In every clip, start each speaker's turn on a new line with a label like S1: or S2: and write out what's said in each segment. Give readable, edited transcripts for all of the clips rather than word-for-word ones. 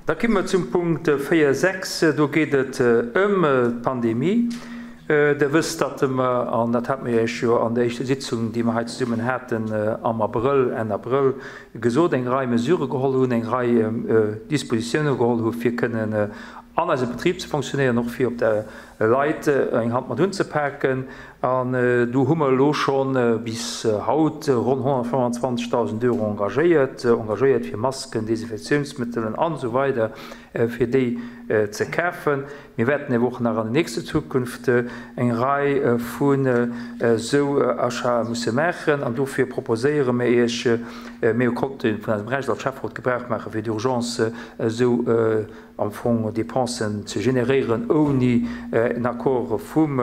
S1: Da komme mer zum Punkt 4, 6. Do geet et ëm d'Pandemie. Der wësst, datt mer, an dat hate mer Iech jo an der éischter Sitzung, déi mer hei zesummen haten am Abrëll, Enn Abrëll, gesot, eng Rei Mesurë geholl hunn, eng Rei Dispositiounen geholl hu fir kënnen an eisem Betrib ze fonctionnéieren, och fir op der Leit eng Hand mat unzepaken. An do hu mer elo scho bis haut ronn 125.000 Euro engagéiert, engagéiert fir Masken, Desinfektiounsmëttelen an esou weider fir déi ze kafen. Mir wäerten awer och nach an der nächster Zukunft eng Rei vun esou Achatë musse maachen. An dofir proposéiere mir Iech, mir konnte vun eisem Recht als Schäfferot Gebrauch maache fir d'urgence esou am Fong Dépensen ze generéieren ouni en Accord vum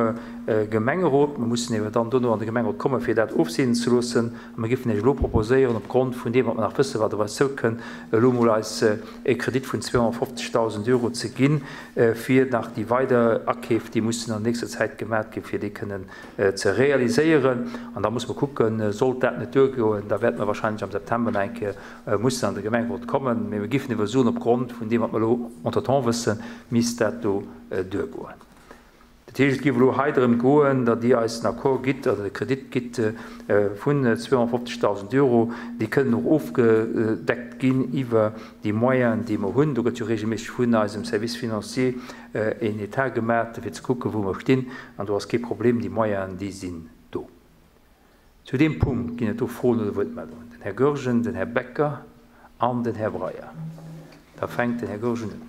S1: Gemengerot. Mer mussen ewer dann dono an de Gemengerot kommen, fir dat ofseenen ze loossen. A mer géifen Iech elo proposéieren, op Grond vun deem, wat mer nach wëssen, wat op eis zoukënn, elo emol eis e Kredit vun 250.000 Euro ze ginn, fir nach déi weider Akeef, déi mussen an nächster Zäit gemat ginn, fir déi kënnen ze realiséieren. An da musse mer kucken, sollt dat net duergoen, da wäerte mer wahrscheinlech am September nach eng Kéier mussen an de Gemengerot kommen, mee mir géifen ewer soen, op Grond vun deem, wat mer elo entretemps wëssen, misst dat do duergoen. Dat heescht, et géif elo hei drëm goen, datt Dir eis den Accord gitt oder de Kredit gitt vun 250.000 Euro. Déi kënnen och ofgedeckt ginn iwwer déi Moyenen, déi mer hunn. Do gëtt jo regelméisseg vun eisem Service financier een Etat gemat, fir ze kucken, wou mer stinn. An do ass kee Problem, déi Moyenen, déi sinn do. Zu deem Punkt ginn et do Froen oder Wuertmeldungen. Den Här Goergen, den Här Becker an den Här Breyer. Da fänkt den Här Goergen un.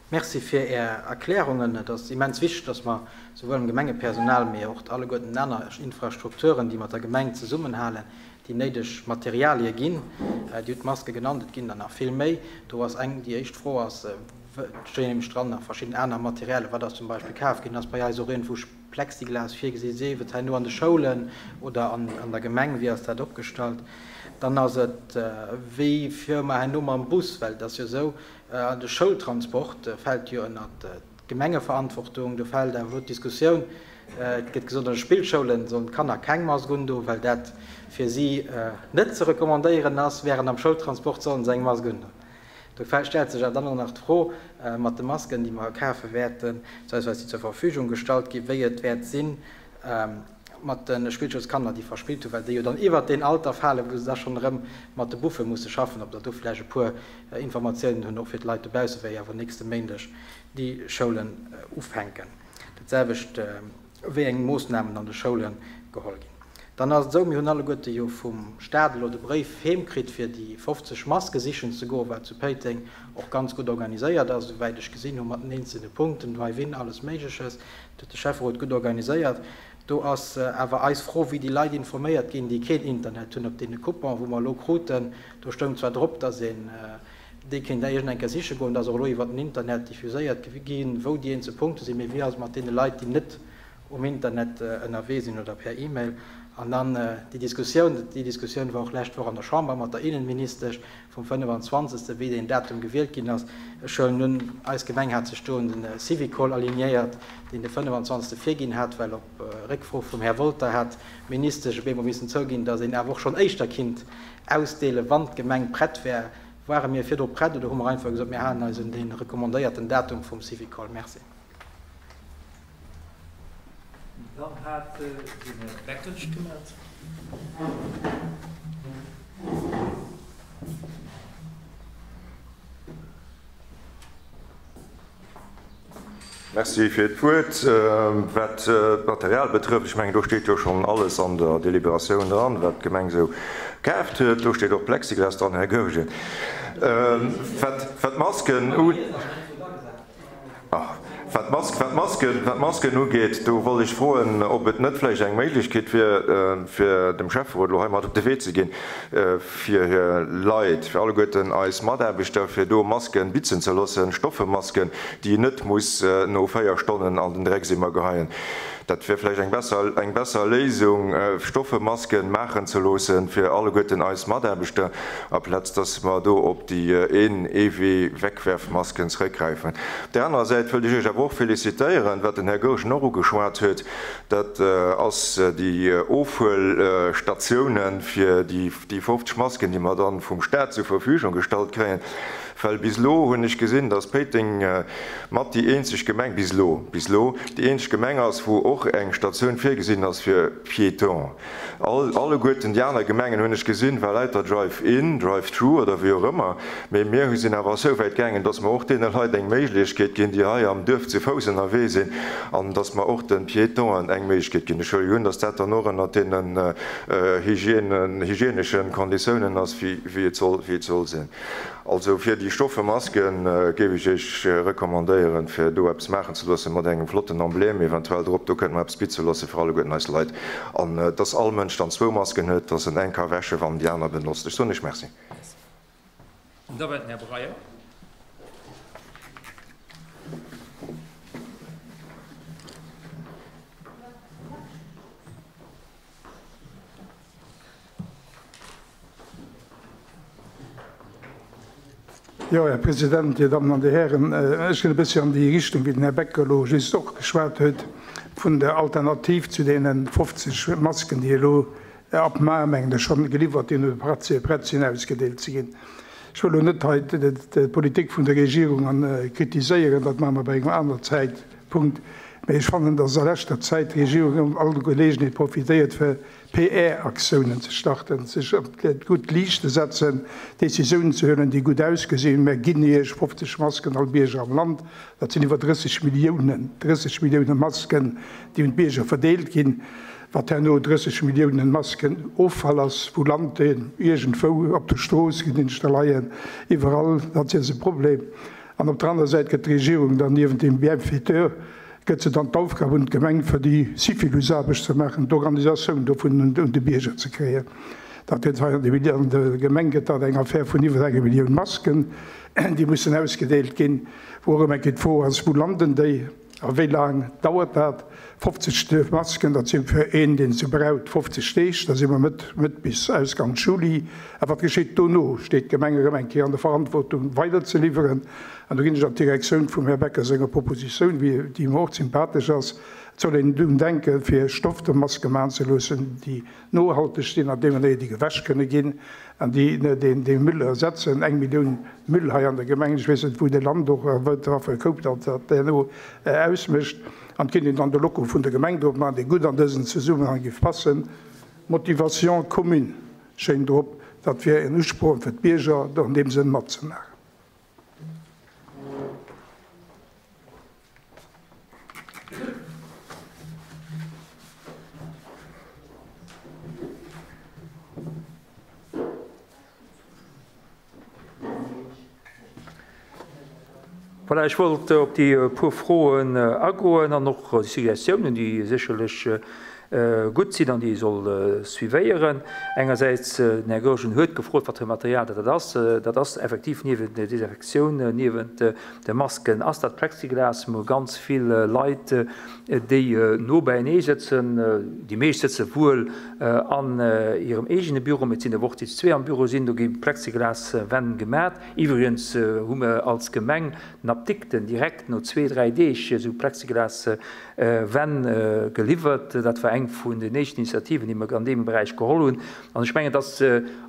S2: Merci fir Är Erklärungen. Et ass immens wichteg, dass mer souwuel dem Gemengepersonal, mee och alleguerten den aner Infrastrukturen, déi mat der Gemeng zesummenhalen, déi néideg Materialie ginn. Dir hutt d'Maske genannt, et ginn der nach vill méi. Do ass eng, déi éischt Fro ass, et stinn nämlech dran nach verschidden aner Materialien, wat ass zum Beispill kaf ginn? Ass bei eis och iergendwou Plexiglas virgesi sief et herno an de Schoulen oder an der Gemeng, wéi ass dat opgestallt? Dann ass et, wéi fuere mer herno mam Bus, well et ass jo esou, de Schoultransport fält jo ënnert d'Gemengeverantwortung, do fält awer elo d'Diskussioun, et gëtt gesot, an de Spillschoule sollen d'Kanner keng Mask undoen, well dat fir si net ze recommandéieren ass, wärend am Schoultransport sollen se eng Mask undoen. Do stellt sech awer dann och nach d'Fro mat de Masken, déi mer kafe wäerten, beziehungsweise déi zur Verfügung gestallt ginn, wéi et wäert si mat de Spillschoulskanner, déi verspillt hunn, well déi jo dann iwwert deen Alter falen, wou se da schonn erëm mat de Buffe musse schaffen, ob der do vläicht e puer Informatiounen hunn, och fir d'Leit dobausse, wéi awer nächste Méindeg déi Schoulen ufänken. Dat selwecht wéi eng Moossnamen an de Schoule geholl ginn. Dann ass et esou, mir hunn alleguerte jo vum Staat elo de Bréif heem kritt, fir déi 50 Maske sichen ze goen, wat zu Péiteng och ganz gutt organiséiert ass, esouwäit ech gesinn hu mat den eenzelne Punkten, Drive-in, alles Méigleches. Dat huet de Schäfferot gutt organiséiert. Do ass awer eis Fro, wéi déi Leit informéiert ginn, déi keen Internet hunn. Op deene Coupon, wou mer elo kruten, do stoung zwar drop, dass een déi kéint iergend eng Kéier siche goen, dat ass och elo iwwer den Internet diffuséiert ginn, wou déi eenzel Punkte sinn, mee wéi ass et mat deene Leit, déi net um Internet ënnerwee sinn oder per E-Mail? An dann déi Diskussioun, déi Diskussioun war och lescht Woch an der Chamber mat der Innenministesch vum 25., wéi deen Datum gewielt ginn ass. Ech huelen un, eis Gemeng hat sech do un de Syvicol alignéiert, deen de 25. virginn hat, well op Réckfro vum Här Wolter hat d'Ministesch op eemol missen zouginn, datt een awer och schonn éischter kinnt ausdeelen, wann d'Gemeng prett wär. Ware mir virdru prett oder hu mer einfach gesot, mir halen eis un dee recommandéierten Datum vum Syvicol? Merci.
S1: Dann hat den Här Becker sech gemellt.
S3: Merci fir d'Wuert. Wat d'Material betrëfft, ech mengen, do steet jo schonn alles an der Deliberatioun dran, wat d'Gemeng esou kaaft huet. Do steet och Plexiglas dran, Här Goergen. Wat d'Masken u. Wat d'Masken ugeet, do wollt ech froen, ob et net vläicht eng Méiglechkeet wier, fir dem Schäfferot elo hei mat op de Wee ze ginn, fir hir Leit, fir alleguerten eis Mataarbechter, fir do Masken bitzen ze loossen, Stoffemasken, déi een net muss no 4 Stonnen an den Dreckseemer geheien. Dat wier vläicht eng besser, eng besser Léisung, stoffe Masken maachen ze loossen fir alleguerten eis Mataarbechter, aplaz dass mer do op déi een Eewee-Wegwerfmasken zrëckgräifen. Op där anerer Säit wëllt ech Iech awer och félicitéieren, wat den Här Goergen och ugeschwat huet, dat ass déi Ofhuelstatiounen fir déi 50 Masken, déi mer dann vum Stat zur Verfügung gestallt kréien. Well bis elo hunn ech gesinn, dass Péiteng mat déi eenzeg Gemeng, bis elo, bis elo, déi eenzeg Gemeng ass, wou och eng Statioun virgesinn ass fir Piétons. All, alleguerten déi aner Gemengen, hunn ech gesinn, war lauter Drive-in, Drive-through oder wéi och ëmmer. Mee mir sinn awer esou wäit gaangen, dass mer och deene Leit eng Méiglechkeet ginn, déi hei am Duerf zu Fouss ënnerwee sinn, an dass mer och de Piétonen eng Méiglechkeet ginn. Ech huele jo un, dass dat dann och ënnert deenen Hygiène, hygieneschen Konditiounen ass, wéi, wéi et soll, wéi et soll sinn. Also fir déi stoffe Masken géif ech Iech recommandéieren fir do eppes maachen ze loossen mat engem flotten Emblème eventuell drop. Do kënnt mer eppes bitze loosse fir alleguerten eis Leit an dass all Mënsch dann zwou Masken huet, dass en eng ka wäsche wann en déi aner benotzt. Ech soen Iech Merci.
S1: Da war den Här Breyer.
S4: Jo, Här President, Dir Dammen an Dir Hären, ech ginn e bëssi an déi Richtung, wéi den Här Becker elo just och geschwat huet, vun der Alternativ zu deene 50 Masken, déi elo ab mar, mengen ech, schonn geliwwert ginn oder prett sinn ausgedeelt ze ginn. Ech wëll elo net hei d'Politik vun der Regierung kritiséieren, dat maache mer bei engem anere Zäitpunkt, mä ech fannen, dass a leschter Zäit d'Regierung ëm all Geleegenheet profitéiert, fir PR-Aktiounen ze starten, sech op d'gutt Liicht ze setzen, Decisiounen ze huelen, déi gutt ausgesinn. Mär ginn Iech 50 Masken all Bierger am Land. Dat sinn iwwer 30 Milliounen, 30 Millioune Masken, déi un d'Bierger verdeelt ginn. Wat herno 30 Milliounen Masken Offall ass, wou lant deen? Iergendwou op der Strooss ginn ech da leien, iwwerall. Dat ass e Problem. An op der anerer Säit gëtt d'Regierung dann niewent dem Bienfaiteur, gëtt se dann d'Aufgab un d'Gemeng, fir déi Syphilusaarbecht ze maachen, d'Organisatioun dovun un de Bierger ze kréien. Dat gëtt hei an der Gemeng gëtt dat eng Affär vun iwwer enger Millioun Masken, déi mussen ausgedeelt ginn, wou och ëmmer eng Kéier d'Fro ass, Wou landen déi a wéi laang dauert dat? 50 Masken, dat si fir een, deen se braucht, 50 Deeg, da si mer Mëtt, Mëtt bis Ausganks Juli. A wat geschitt dono? Steet d'Gemeng erëm eng Kéier an der Verantwortung, weider ze liwweren? An do ginn ech an d'Direktioun vum Här Becker senger Propositioun, déi mer och sympathesch ass, Et soll een drun denken, fir Stoffmaske maachen ze loossen, déi nohalteg sinn an deemno déi gewäsch kënne ginn an déi dee Müll ersetzen. Eng Millioun Müll hei an der Gemeng, ech weess net, wou dee lant och a wat fir e Koup dat dat herno ausmécht. An et kéint een dann de Logo vun der Gemeng drop maachen, dee gutt an dësen Zesummenhang géif passen, Motivation commune schéin drop. Dat wier en Usporn fir d'Bierger, do an deem Sënn matzemaachen.
S1: Voilà, ech wollt op déi puer Froen agoen an och déi Suggestiounen, déi sécherlech gutt sinn an déi ee soll suivéieren. Engersäits, den Här Goergen huet gefrot, wat fir e Material dat dat ass. Dat ass effektiv niewent der Desinfektioun, niewent de Masken ass dat Plexiglas. Mir hu ganz vill Leit, déi no beienee sëtzen. Déi meescht sëtze wuel an hirem eegene Büro, mee et sinn awer och déi zu zwee am Büro sinn. Do gi Plexiglaswänn gemat. Iwwregens hu mer als Gemeng den Apdikten direkt no zwee, dräi Deeg esou Plexiglas Wänn geliwwert. Dat war eng vun den éischten Initiativen, déi mer an deem Beräich geholl hunn. An ech mengen, et ass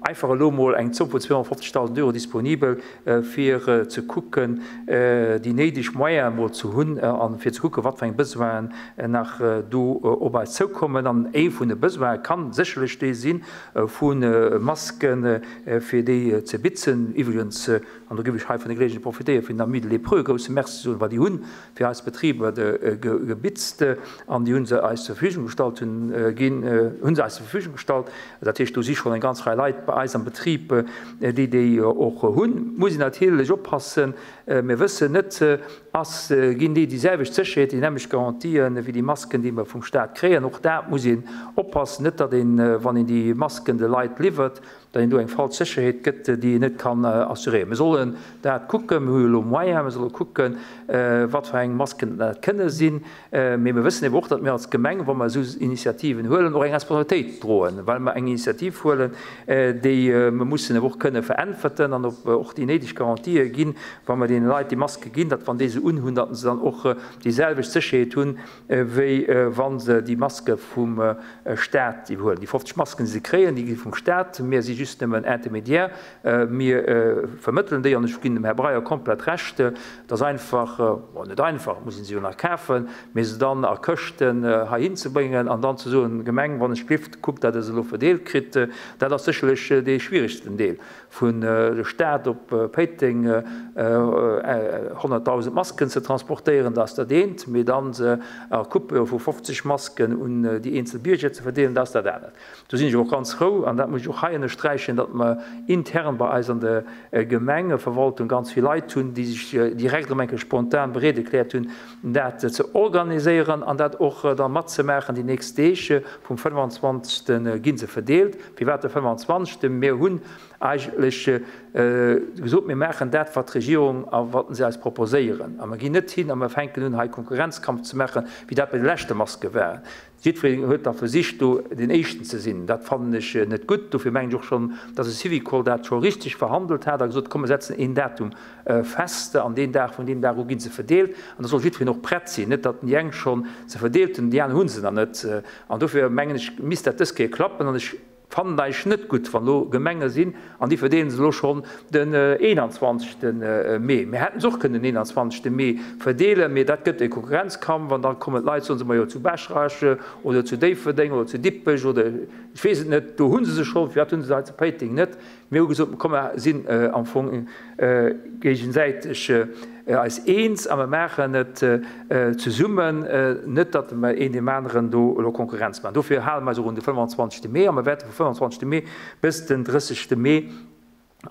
S1: einfach elo emol eng Zomm vun 250.000 Euro disponibel, fir ze kucken, déi néideg Moyene emol ze hunn a fir ze kucken, wat fir eng Besoinen nach do op eis zoukommen. An ee vun de Besoine ka sécherlech dee si vu Masken, fir déi ze bitzen. Iwwregens, an do géif ech hei vun der Geleegenheet profitéieren, fir den Amis de Lépreux e grousse Merci ze soen, well déi hunn fir eis Betriber gebitzt an déi hu se eis zur Verfügung gestallt hunn ginn, hu se eis zur Verfügung gestallt. Dat heescht, do si schonn eng ganz Rei Leit bei eis am Betrib, déi déi och hunn. Muss een natierlech oppassen, mir wëssen net, ass, ginn déi déi selwecht Sécherheet, déi nämmlecht Garantien wéi déi Masken, déi mer vum Stat kréien. Och dat muss een oppassen, net datt een, wann een déi Masken de Leit liwwert, datt een do eng falsch Sécherheet gëtt, déi een net kann assuréieren. Mir sollen dat kucken, mir hu jo elo Moyens, mir solle kucken, wat fir eng Masken dat kënne sinn. Mee mir wëssen eben och, datt mir als Gemeng, wa mer esou Initiativen huelen, och eng Responsabilitéit droen, well mer eng Initiativ huelen, déi mer mussen awer och kënne veräntwerten an och déi néideg Garantië ginn, wa mer deene Leit déi Maske ginn, datt wann déi se unhunn, datt se dann och déi selwecht Sécherheet hunn, wéi wa se déi Maske vum Staat iwwerhuelen. Déi 50 Masken, déi se kréien, déi gi vum Staat. Mir si just nëmmen Intermédiaire. Mir vermëttelen déi, an ech ginn dem Här Breyer komplett Recht, et ass einfach, bon, net einfach, et muss ee se jo nach kafen, mee se dann a Këschten heihin ze bréngen an dann ze soen, Gemeng, wann ech glift, kuckt, datt Der se elo verdeelt kritt, dat ass sécherlech dee schwieregsten Deel. Vun der Stad op Péiteng 100.000 Masken ze transportéieren, dat ass dat eent, mee dann se a Coupe vu 50 Masken un déi eenzel Bierger ze verdeelen, dat ass dat anert. Do sinn ech och ganz frou, an dat muss ech och hei ënnersträichen, datt mer intern bei eis an der Gemengeverwaltung ganz vill Leit hunn, déi sech direkt erëm eng Kéier spontan bereet erkläert hunn, dat ze organiséieren an dat och da matzemaachen. Déi nächst Deeg, vum 25. gi se verdeelt. Firwat de 25.? Mir hunn eigentlech gesot, mir maachen dat, wat d'Regierung a wat se eis proposéieren. A mer ginn net hin a mer fänken un, hei Konkurrenzkampf ze maachen, wéi dat bei de leschte Maske war. Jiddwereen huet da versicht, do deen Éischten ze sinn. Dat fannen ech net gutt. Dofir mengen ech och schonn, dass de Syvicol dat scho richteg verhandelt hat a gesot huet, komm, mir setzen een Datum fest an deen Dag, vun deem Dag u gi se verdeelt. An da soll jiddwereen och prett sinn, net datt déi eng schonn se verdeelt hunn an déi aner hu se nach net. An dofir mengen ech, misst dat dës Kéier klappen. An ech Fannen eigentlech net gutt, wann elo Gemenge sinn an déi verdeelen se elo schonn den 21. Mee. Mir hätten se och kënnen den 21. Mee verdeelen, mee dat gëtt e Konkurrenzkampf an da kommen d'Leit, soen se, majo zu Baschrech oder zu Déifferdeng oder zu Dippech oder ech weess et net, do hu se se schonn, firwat hu se se hei zu Péiteng net? Mir hu gesot, komm mer sinn am Fong géigesäiteg eis eens a mer maachen et zesummen, net datt mer een deem aneren do elo Konkurrenz maachen. Dofir hale mer eis och un de 25. Mee a mer wäerte vum 25. Mee bis den 30. Mee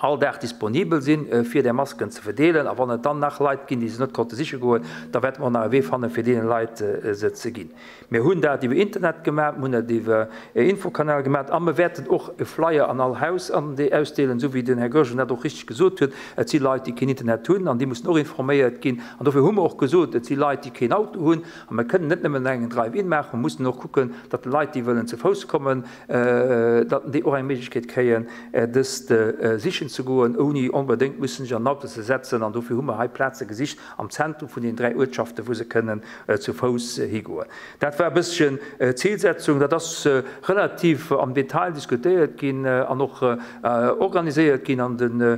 S1: all Dag disponibel sinn, fir där Masken ze verdeelen. A wann et dann nach Leit ginn, déi se net konnte siche goen, da wäerte mer och nach e Wee fannen, fir deene Leit se ze ginn. Mir hunn dat iwwer Internet gemaach, mir hunn dat iwwer e Infokanal gemaach a mir wäerten och e Flyer an all Haus ausdeelen, esou wéi den Här Goergen dat och richtig gesot huet. Et si Leit, déi keen Internet hunn an déi mussen och informéiert ginn. An dofir hu mer och gesot, et si Leit, déi keen Auto hunn a mir kënnen net nëmmen engen Drive-in maachen, mir mussen och kucken, datt déi Leit, déi wëllen ze Fouss kommen, datt déi och eng Méiglechkeet kréien, dëst sichen ze goen, ouni onbedéngt mussen sech an den Auto ze setzen. An dofir hu mer hei Plaze gesicht am Zentrum vun den 3 Uertschaften, wou se kënnen zu Fouss higoen. Dat war e bësschen d'Zilsetzung. Dat ass relativ am Detail diskutéiert ginn an och organiséiert ginn. An de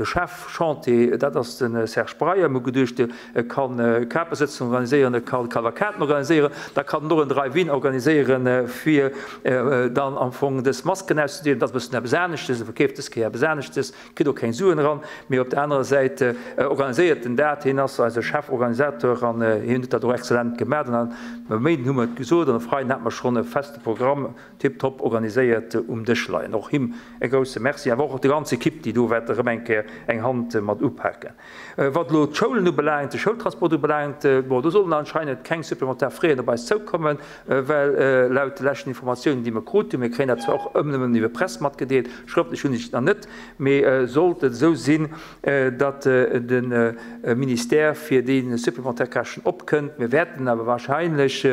S1: Chef Chantier, dat ass de Serge Breyer. Mir hu geduecht, e ka Kapesëtzungen organiséieren, e ka Kavalkaden organiséieren, da kann en och en Drive-in organiséieren, fir dann am Fong dës Masken auszedeelen. Dat ass e bëssen eppes aneschtes, e verkeeft dës Kéier eppes aneschtes. Kritt och keng Suen eran, mee op der anerer Säit organiséiert en dat. Hien ass eise Cheforganisateur an hien huet dat och exzellent gemaat. An e Méinden hu mer et gesot an e Freiden hate mer schonn e feste Programm tiptop organiséiert um Dësch leien. Och him e grousse Merci, awer och der ganzer Equipe, déi do wäert erëm eng Kéier eng Hand mat upaken. Wat elo d'Schoulen ubelaangt, de Schoultransport ubelaangt, bon, do sollen anscheinend keng supplementar Fräen op eis zoukommen, well laut de leschten Informatiounen, déi mer krut hunn, mir kréien dat zwar och ëmmer nëmmen iwwer Press matgedeelt, schrëftlech hunn ech et nach net, mee sollt et esou sinn, datt de Ministère fir déi supplementar Käschten opkënnt, mir wäerten awer wahrscheinlech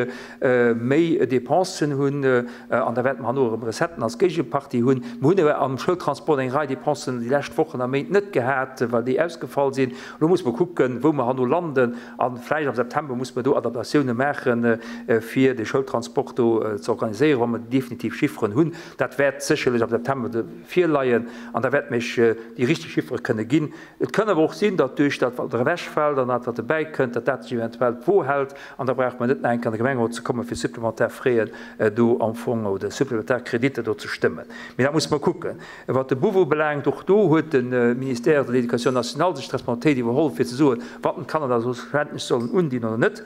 S1: méi Dépensen hunn an da wäerte mer herno erëm Recetten als Géigepartie hunn. Mer hunn awer am Schoultransport eng Rei Dépensen déi lescht Wochen a Méint net gehat, well déi ausgefall sinn. Elo musse mer kucken, wou mer herno landen a vläicht am September musse mer do Adaptatioune maachen, fir de Schoultransport do ze organiséieren, wa mer déi definitiv Chifferen hunn. Dat wäert sécherlech am September virleien an da wäerte mer Iech déi richteg Chiffere kënne ginn. Et kann awer och sinn, datt duerch dat, wat ewechfält an dat, wat dobäi kënnt, datt dat sech eventuell d'Wo hält an da brauche mer net nach eng Kéier an de Gemengerot ze kommen, fir supplementar Fräen do am Fong oder supplementar Kreditter do ze stëmmen. Mee dat musse mer kucken. Wat de Buf ubelaangt, och do huet de Ministère de l'Éducation nationale sech d'Responsabilitéit iwwerholl, fir ze soen, wat d'Kanner da schlussendlech sollen undinn oder net.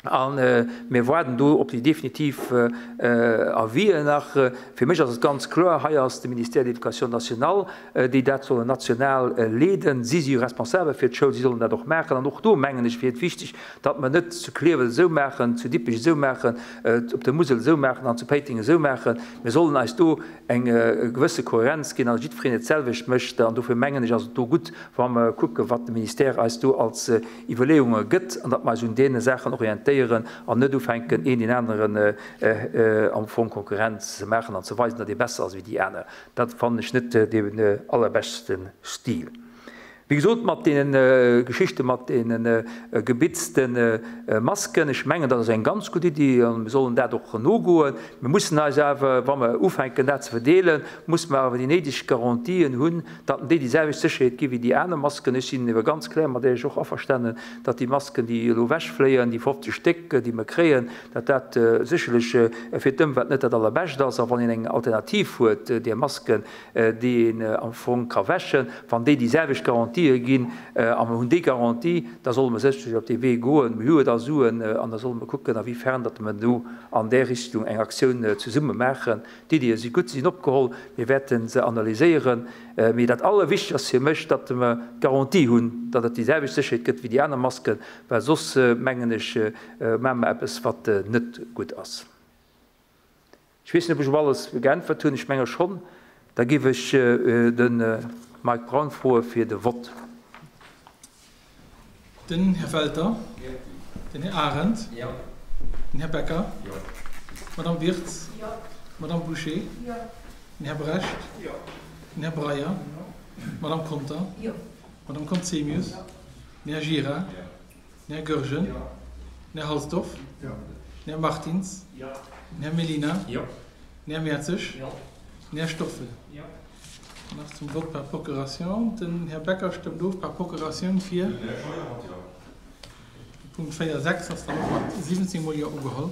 S1: A mir waarden do op déi definitiv Avisen nach. Fir mech ass et ganz kloer, hei ass de Ministère de l'Éducation nationale, déi dat sollen national leeden. Si si jo responsabel fir d'Schoul, si sollen dat och maachen. An och do, mengen ech, wier et wichteg, datt mer net zu Clierf et esou maachen, zu Dippech esou maachen, op der Musel esou maachen an zu Péiteng esou maachen. Mir sollen eis do eng gewësse Kohärenz ginn an jiddwereen et d'selwecht mécht. An dofir mengen ech, ass et do gutt, wa mer kucken, wat de Ministère eis do als Iwwerleeunge gëtt, an datt mer eis un deene Saachen orientéieren an net ufänken, een deen aneren am Fong Konkurrenz ze maachen an ze weisen, datt ee besser ass wéi déi aner. Dat fannen ech net dee allerbeschte Stil. Wéi gesot, mat deene Geschichte mat deene gebitzte Masken, ech mengen, dat ass eng ganz gutt Iddi a mir sollen dat och nogoen. Mir mussen eis awer, wa mer ufänken, dat ze verdeelen, musse mer awer déi néideg Garantien hunn, datt déi déi selwecht Sécherheet gi wéi déi aner Masken. Ech sinn ebe ganz kloer mat Iech och averstanen, datt déi Masken, déi elo ewechfléien, déi 50 Stéck, déi mer kréien, datt dat sécherlech fir d'Ëmwelt net dat Allerbescht ass. A wann een eng Alternativ huet, där Masken, déi een am Fong ka wäschen, wann déi déi selwecht Garantië ginn, a mer hunn déi Garantie, da solle mer sécherlech op dee Wee goen. Mir hu jo da Suen an da solle mer kucken, a wéi fern datt mer do an där Richtung eng Aktioun zesumme maachen. D'Iddie si gutt, si sinn opgeholl, mir wäerte se analyséieren. Mee dat Allerwichtegst ass fir mech, datt mer d'Garantie hunn, datt et déi selwecht Sécherheet gëtt wéi déi aner Masken, well soss, mengen ech, maache mer eppes, wat net gutt ass. Ech weess net, ob ech op alles geäntwert hunn. Ech menge schonn. Da géif ech de Mike Braun froe fir de Vott.
S5: Den Här Welter. Den Här Arendt. Den Här Becker. D'Madame Wirtz. D'Madame Bouché. Den Här Brecht. Den Här Breyer. D'Madame Conter. D'Madame Conzemius. Den Här Gira. Den Här Goergen. Den Här Halsdorf. Den Här Martins. Den Här Mellina. Den Här Mertzig. Den Här Stoffel. Nach zum Vote par procuration. Den Här Becker stëmmt of par procuration fir. De Punkt 4, 6 ass dann och mat 17 mol Jo ugeholl.